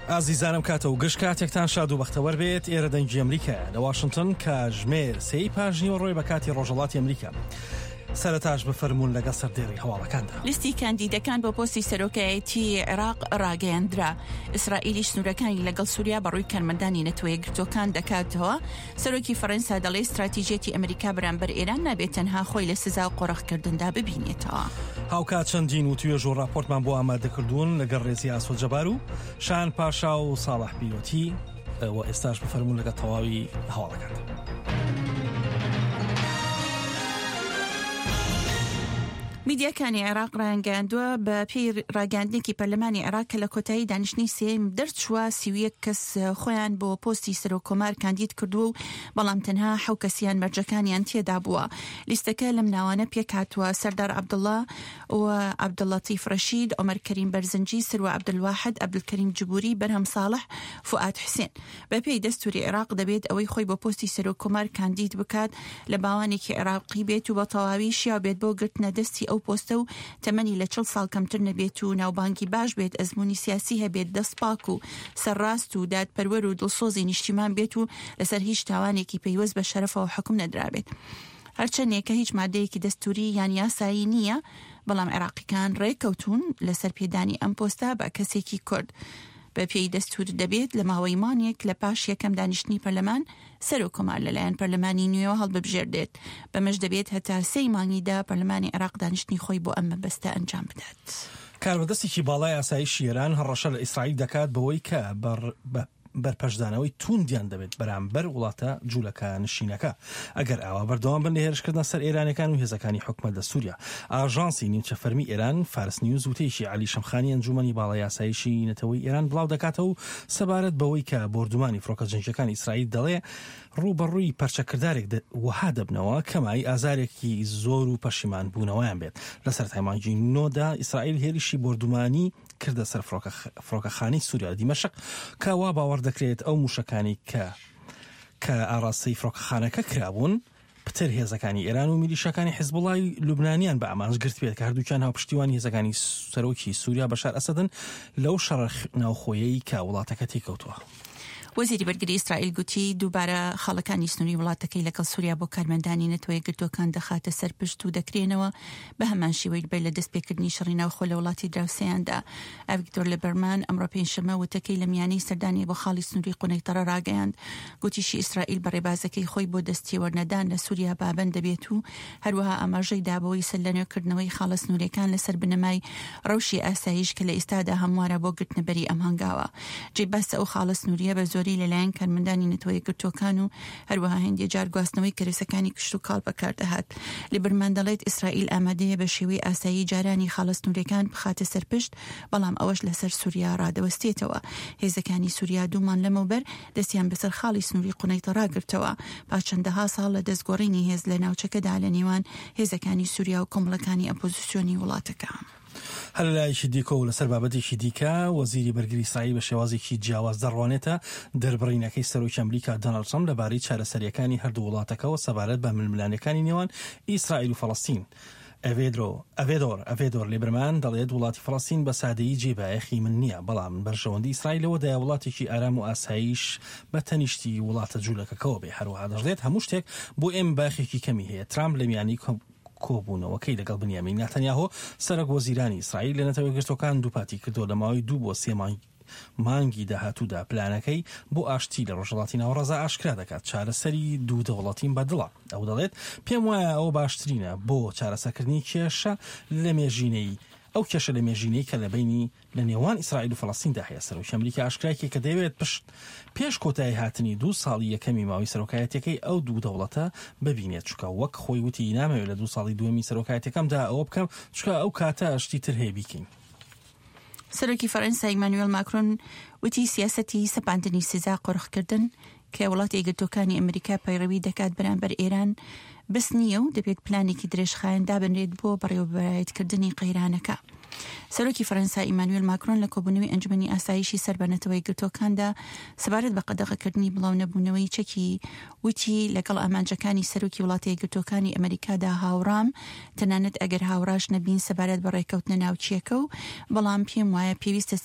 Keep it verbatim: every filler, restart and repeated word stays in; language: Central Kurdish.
ئازیزانم کاتە و گشت کاتێکتان شاد و بەختەوەر بێت. ئێرە دەنگی ئەمریکایە لە واشنگتن، کاتژمێر سێی پاش نیوەڕۆی بە کاتی ڕۆژهەڵاتی ئەمریکا. سەرەتاش بفەرموون لەگەڵ سەردێڕی هەواڵەکاندا. لیستی کاندیدەکان بۆ پۆستی سەرۆکایەتی عێراق ڕاگەیەندرا. ئیسرائیلیش سنوورەکانی لەگەڵ سووریا بەڕووی کارمەندانی نەتەوە یەکگرتووەکان دەکاتەوە. سەرۆکی فەرەنسا دەڵێ ستراتیژیەتی ئەمریکا بەرامبەر ئێران نابێت تەنها خۆی لە سزا و قۆرخکردندا ببینێتەوە. هاوکات چەندین وتوێژ و راپۆرتمان بۆ ئامادەکردوون لەگەڵ ڕێزی ئاسۆ جەبار و شان پاشا و ساڵح بیرۆتی و ئێستاش بفەرموون لەگەڵ تەواوی هەواڵەکاندا. میدیاکانی عێراق ڕایانگەیاندووە بە پێی ڕاگەیاندنێکی پەرلەمانی عێراق کە لە کۆتایی دانیشتنی سێیەم دەرچووە، سی و یەک کەس خۆیان بۆ پۆستی سەرۆک کۆمار کاندید کردووە و بەڵام تەنها حەو کەسیان مەرجەکانیان تێدا بووە. لیستەکە لەم ناوانە پێکهاتووە: سەردار عەبدوڵڵا و عەبدولەتیف ڕەشید، عومەر کەریم بەرزنجی، سروە عەبدولواحد، عەبدولکەریم جبوری، بەرهەم ساڵح، فوئاد حوسێن. بەپێی دەستوری عێراق دەبێت ئەوەی خۆی بۆ پۆستی سەرۆک کۆمار کاندید بکات لە باوانێکی عێراقی بێت و بە تەواوی شیاو بێت بۆ گرتنە دەستی ئەو پۆستە و تەمەنی لە چڵ ساڵ کەمتر نەبێت و ناوبانگی باش بێت، ئەزموونی سیاسی هەبێت، دەست پاک و سەرڕاست و دادپەروەر و دڵسۆزی نیشتیمان بێت و لەسەر هیچ تاوانێکی پەیوەست بە شەرەفەوە حوکم نەدرابێت. هەرچەندێکە هیچ مادەیەکی دەستوری یان یاسایی نییە، بەڵام عێراقیەکان ڕێککەوتوون لەسەر پێدانی ئەم پۆستە بە کەسێکی کورد. بە پێی دەستور دەبێت لە ماوەی مانگێک لە پاش یەکەم دانیشتنی پەرلەمان سەرۆک کۆمار لەلایەن پەرلەمانی نوێوە هەڵببژێردێت. بەمەش دەبێت هەتا سێی مانگیدا پەرلەمانی عێراق دانیشتنی خۆی بۆ ئەم مەبەستە ئەنجام بدات. کاربەدەستێکی باڵای ئاسایشی ئێران هەڕەشە لە ئیسرائیل دەکات بەوەی کە بە بەرپەرچدانەوەی توندیان دەبێت بەرامبەر وڵاتە جوولەکە نشینەکە ئەگەر ئاوا بەردەوام بن لە هێرشکردنە سەر ئێرانەکان و هێزەکانی حکومەت لە سووریا. ئاژانسی نیمچە فەرمی ئێران فارس نیوز وتەیەکی عەلی شەمخانی ئەنجومەنی باڵای ئاسایشی نەتەوەی ئێران بڵاو دەکاتەوە و سەبارەت بەوەی کە بۆردومانی فڕۆکە جەنگیەکانی ئیسرائیل دەڵێ ڕووبەڕووی پەرچەکردارێک وەها دەبنەوە کەمای ئازارێکی زۆر و پەشیمان بوونەوەیان بێت. لە سەرەتای مانگی نۆدا ئیسرائیل هێرشی بۆردومانی کردە سەر فڕۆکەخانەی سووریا لە دیمەشق کە وا باوەڕ دەکرێت ئەو موشەکانی کە کە ئاراستەی فڕۆکەخانەکە کرابوون پتر هێزەکانی ئێران و میلیشاکانی حیزبوڵای لوبنانیان بە ئامانج گرت بێت کە هەردووکیان هاوپشتیوانی هێزەکانی سەرۆکی سووریا بەشار ئەسەدن لەو شەڕە ناوخۆیەی کە وڵاتەکە تێکەوتووە. وەزیری بەرگری ئیسرائیل گوتی دووبارە خاڵەکانی سنووری وڵاتەکەی لەگەڵ سووریا بۆ کارمەندانی نەتەوە یەکگرتووەکان دەخاتە سەر پشت و دەکرێنەوە بە هەمان شێوەی بەر لە دەستپێکردنی شەڕی ناوخۆ لە وڵاتی دراوسێیاندا. ئەڤیگدۆر لیبەرمان ئەمڕۆ پێنجشەممە وتەکەی لە میانەی سەردانی بۆ خاڵی سنووری قونەیتەڕە ڕاگەیاند. گوتیشی ئیسرائیل بە ڕێبازەکەی خۆی بۆ دەستێوەرنەدان لە سووریا پابەند دەبێت و هەروەها ئاماژەی دا بەوەی سەرلەنوێکردنەوەی خاڵە سنووریەکان لەسەر بنەمای ڕەوشی ئاسایش کە لە ئێستادا هەموارە بۆ گرتنەبەری ئەم هەنگاوە. جێی باسە ئەو خاڵە سنووریە بە زۆری لەلایەن کارمەندانی نەتەوە یەکگرتووەکان و هەروەها هەندێک جار گواستنەوەی کەرەسەکانی کشتوکاڵ بەکاردەهات. لیبرمان دەڵێت ئیسرائیل ئامادەیە بە شێوەی ئاسایی جارانی خاڵە سنووریەکان بخاتە سەر پشت، بەڵام ئەوەش لەسەر سووریا ڕادەوەستێتەوە. هێزەکانی سووریا دوو مانگ لەمەوبەر دەستیان بەسەر خاڵی سنووری قونەیتە ڕاگرتەوە پاش چەندەها ساڵ لە دەستگۆڕینی هێز لە ناوچەکەدا لە نێوان هێزەکانی سووریا و کۆمەڵەکانی ئەپۆزیسیۆنی وڵاتەکە. هەر لەلایەکی دیکە و لەسەر بابەتێکی دیکە وەزیری بەرگری ئیسرائیل بە شێوازێکی جیاواز دەڕوانێتە دەربڕینەکەی سەرۆکی ئەمریکا دۆناڵد ترەمپ لەبارەی چارەسەریەکانی هەردوو وڵاتەکەوە سەبارەت بە ململانێکانی نێوان ئیسرائیل و فەڵەستین. ئەڤێدرۆ ئەڤێدۆر ئەڤێدۆر لیبرمان دەڵێت وڵاتی فەڵەستین بە سادەیی جێ بایەخی من نییە، بەڵام بەرژەوەندی ئیسرائیل لەوەدایە وڵاتێکی ئارام و ئاسایش بە تەنیشتی وڵاتە جوولەکەکەوە بێ. هەروەها دەشڵێت هەموو شتێک بۆ ئێمە بایەخێکی کەمی هەیە. ترامپ لە میانی کۆبوونەوەکەی لەگەڵ بنیامین ناتەنیاهۆ سەرۆک وەزیرانی ئیسرائیل لە نەتەوە یەکگرتووەکان دووپاتی کردەوە لە ماوەی دوو بۆ سێ مانگی داهاتوودا پلانەکەی بۆ ئاشتی لە ڕۆژهەڵاتی ناوەڕاست ئاشکرا دەکات. چارەسەری دوو دەوڵەتیم بەدڵە. ئەو دەڵێت پێم وایە ئەوە باشترینە بۆ چارەسەرکردنی کێشە لە مێژینەی ئەو کێشە لە مێژینەی کە لە بینی لە نێوان ئیسرائیل و فەڵەستیندا هەیە. سەرۆکی ئەمریکا ئاشکرای کرد کە دەیەوێت پشت پێش کۆتایی هاتنی دوو ساڵی یەکەمی ماوەی سەرۆکایەتیەکەی ئەو دوو دەوڵەتە ببینێت، چونکە وەک خۆی وتی نامەوێت لە دوو ساڵی دووەمی سەرۆکایەتیەکەمدا ئەوە بکەم، چونکە ئەو کاتە شتی تر هەیە بیکەین. سەرۆکی فەرەنسا ئیمانوێل ماکرۆن وتی سیاسەتی سەپاندنی سزا قۆرخکردن کە وڵاتی یەکگرتووەکانی ئەمریکا پەیڕەوی دەکات بەرامبەر ئێران بەس نییە و دەبێت پلانێکی درێژخایەن دابنرێت بۆ بەڕێوەبەرایەتکردنی قەیرانەکە. سەرۆکی فەرەنسا ئیمانوێل ماکرۆن لە کۆبوونەوەی ئەنجومەنی ئاسایشی سەر بە نەتەوە یەکگرتووەکاندا سەبارەت بە قەدەغەکردنی بڵاونەبوونەوەی چەکی وتی لەگەڵ ئامانجەکانی سەرۆکی وڵاتە یەکگرتووەکانی ئەمریکادا هاوڕام، تەنانەت ئەگەر هاوڕاش نەبین سەبارەت بە ڕێککەوتنە ناوچیەکە و بەڵام پێم وایە پێویستە